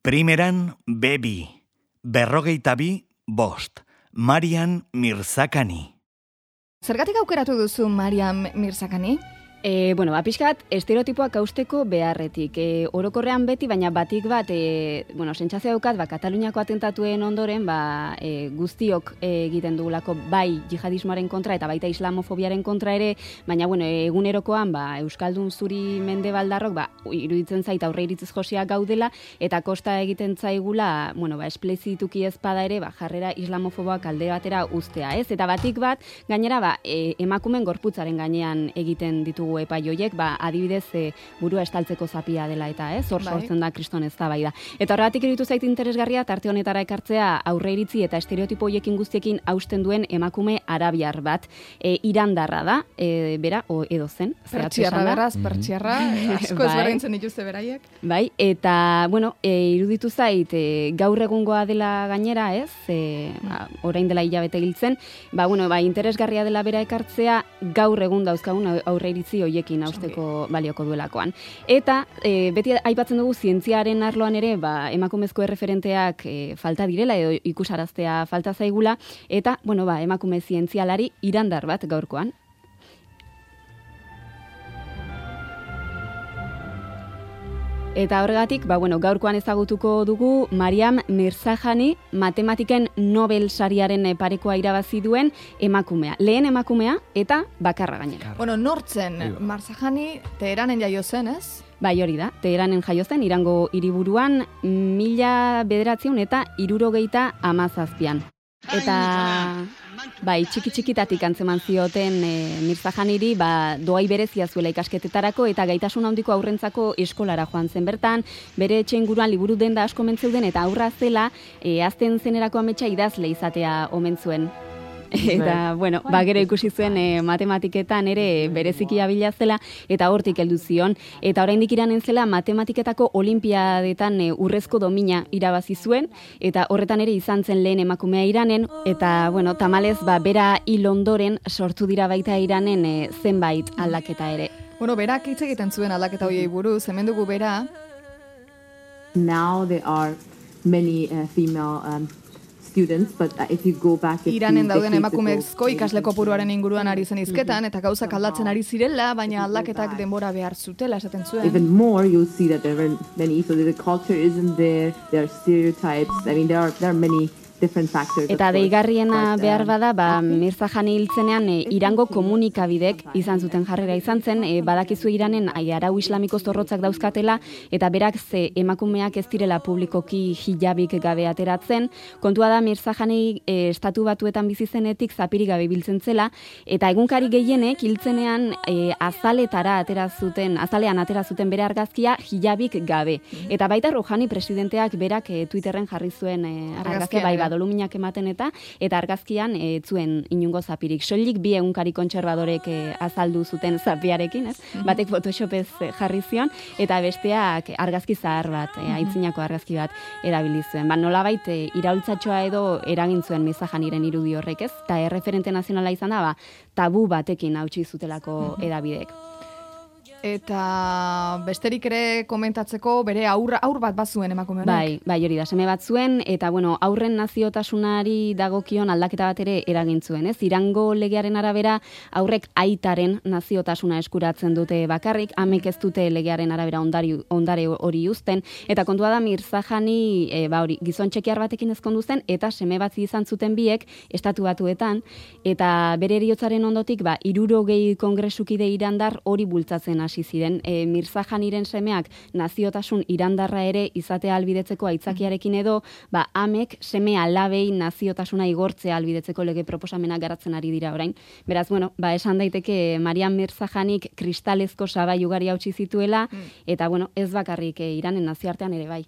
Primeran, Bebi, 42, Marian Mirzakhani. Zergatik aukeratu duzu Marian Mirzakhani? Pixkat, estereotipoak hausteko beharretik. Orokorrean beti, baina batik bat, sentsazio daukat, Kataluniako atentatuen ondoren, guztiok egiten dugulako bai jihadismoaren kontra eta baita islamofobiaren kontra ere, baina, egunerokoan, Euskaldun zuri mendebaldarrok, iruditzen zait aurre iritziz josiak gaudela, eta kosta egiten zaigula, esplezituki ezpada ere, jarrera islamofoboak alde batera uztea, ez? Eta batik bat, gainera, emakumen gorputzaren gainean egiten ditugu epai hoiek, adibidez burua estaltzeko zapia dela eta, hor sortzen da kriston eztabaida. Eta horregatik iruditu zait interesgarria tarte honetara ekartzea aurre iritzi eta estereotipo hoiekin guztiekin hausten duen emakume arabiar bat. Irandarra da, bera, edo zen. Pertsiarra beraz, pertsiarra, asko ezberdintzen dituzte beraiek. Bai, eta, iruditu zait, gaur egungoa dela gainera, ez? Orain dela hilabete hiltzen, interesgarria dela bera ekartzea gaur egun dauzkagun aurre iritzi hoiekin hausteko balioko duelakoan. Eta beti aipatzen dugu zientziaren arloan ere, emakumezko erreferenteak falta direla edo ikusaraztea falta zaigula, eta, emakume zientzialari irandar bat gaurkoan. Eta horregatik, gaurkoan ezagutuko dugu Marian Mirzakhani, matematiken Nobel sariaren parekoa irabazi duen emakumea. Lehen emakumea eta bakarra gainera. Nortzen Mirzakhani Teheranen jaio zen, ez? Bai, hori da, Teheranen jaio zen, Irango hiriburuan 1977an. Eta txiki-txikitatik antzeman zioten Mirzakhaniri doai berezia zuela ikasketetarako eta gaitasun handiko aurrentzako eskolara joan zen bertan, bere etxe inguruan liburu denda asko omen zeuden eta aurra zela azten zenerako ametsa idazle izatea omen zuen. Eta, gero ikusi zuen matematiketan ere bereziki abila zela eta hortik heldu zion. Eta oraindik Iranen zela matematiketako olimpiadetan urrezko domina irabazi zuen eta horretan ere izan zen lehen emakumea Iranen eta, tamalez, bera hil ondoren sortu dira baita Iranen zenbait aldaketa ere. Berak hitz egiten zuen aldaketa horiei buruz, hemen dugu bera. Now there are many female students, but if you go back Iranen dauden emakumezko ikasle kopuruaren inguruan ari zen hizketan eta gauzak aldatzen ari zirela, baina aldaketak denbora behar zutela esaten zuen. Even more, you'll see that there are many, so the culture isn't there, there are stereotypes, there are many different factors. Eta deigarriena behar bada, Mirzakhani hiltzenean Irango komunikabidek izan zuten jarrera izan zen, badakizu Iranen arau islamiko zorrotzak dauzkatela, eta berak emakumeak ez direla publikoki hijabik gabe ateratzen. Kontua da Mirzakhani estatu batuetan bizi zenetik zapirik gabe biltzen zela, eta egunkari gehienek hiltzenean azalean atera zuten bere argazkia hijabik gabe. Eta baita Rouhani presidenteak berak Twitterren jarri zuen argazkia doluminak ematen eta argazkian zuen inungo zapirik. Soilik bi egunkari kontserbadorek azaldu zuten zapiarekin, ez? Batek Photoshopez jarri zion, eta besteak argazki zahar bat, aitzinako argazki bat erabili zuen. Nolabait iraultzatxoa edo eragin zuen Mirzakhaniren irudi horrek, ez? Eta erreferente nazionala izan da, tabu batekin hautsi zutelako edabidek. Eta besterik ere komentatzeko bere aur bat bazuen emakume honek. Bai, hori da, seme bat zuen, eta aurren naziotasunari dagokion aldaketa bat ere eragin zuen, ez? Irango legearen arabera aurrek aitaren naziotasuna eskuratzen dute bakarrik, amek ez dute legearen arabera ondare hori uzten, eta kontua da Mirzakhani gizon txekiar batekin ezkondu zen, eta seme bat izan zuten biek estatu batuetan, eta bere heriotzaren ondotik 60 kongresukide irandar hori bultzatzen hasi ziren. Mirzakhaniren semeak naziotasun irandarra ere izatea albidetzeko aitzakiarekin edo, amek seme alabei naziotasuna igortzea albidetzeko lege proposamenak garatzen ari dira orain. Beraz, esan daiteke Marian Mirzakhanik kristalezko sabai ugari hautsi zituela, eta ez bakarrik Iranen nazioartean ere bai.